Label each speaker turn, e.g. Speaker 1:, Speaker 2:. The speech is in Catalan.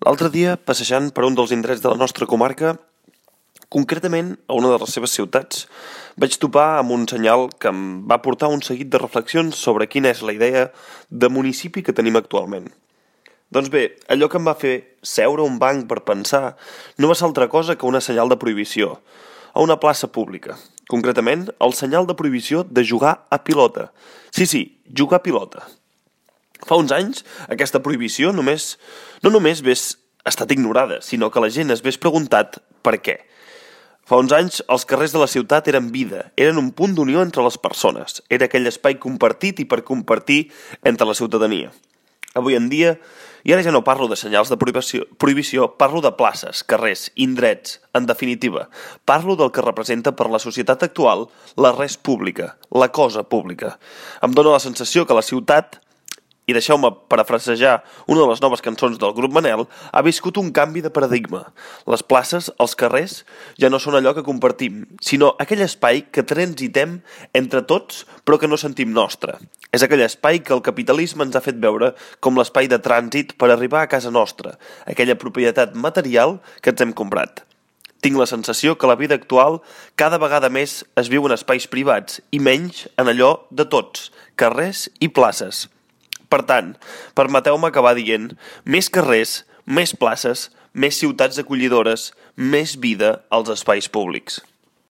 Speaker 1: L'altre dia, passejant per un dels indrets de la nostra comarca, concretament a una de les seves ciutats, vaig topar amb un senyal que em va portar un seguit de reflexions sobre quina és la idea de municipi que tenim actualment. Doncs bé, allò que em va fer seure a un banc per pensar no va ser altra cosa que una senyal de prohibició a una plaça pública. Concretament, el senyal de prohibició de jugar a pilota. Sí, jugar a pilota. Fa uns anys, aquesta prohibició no només hagués estat ignorada, sinó que la gent es hagués preguntat per què. Fa uns anys, els carrers de la ciutat eren vida, eren un punt d'unió entre les persones, era aquell espai compartit i per compartir entre la ciutadania. Avui en dia, i ara ja no parlo de senyals de prohibició, parlo de places, carrers, indrets, en definitiva. Parlo del que representa per la societat actual la res pública, la cosa pública. Em dóna la sensació que la ciutat, i deixeu-me parafrasejar una de les noves cançons del grup Manel, ha viscut un canvi de paradigma. Les places, els carrers, ja no són allò que compartim, sinó aquell espai que transitem entre tots però que no sentim nostre. És aquell espai que el capitalisme ens ha fet veure com l'espai de trànsit per arribar a casa nostra, aquella propietat material que ens hem comprat. Tinc la sensació que la vida actual cada vegada més es viu en espais privats i menys en allò de tots, carrers i places. Per tant, permeteu-me acabar dient més carrers, més places, més ciutats acollidores, més vida als espais públics.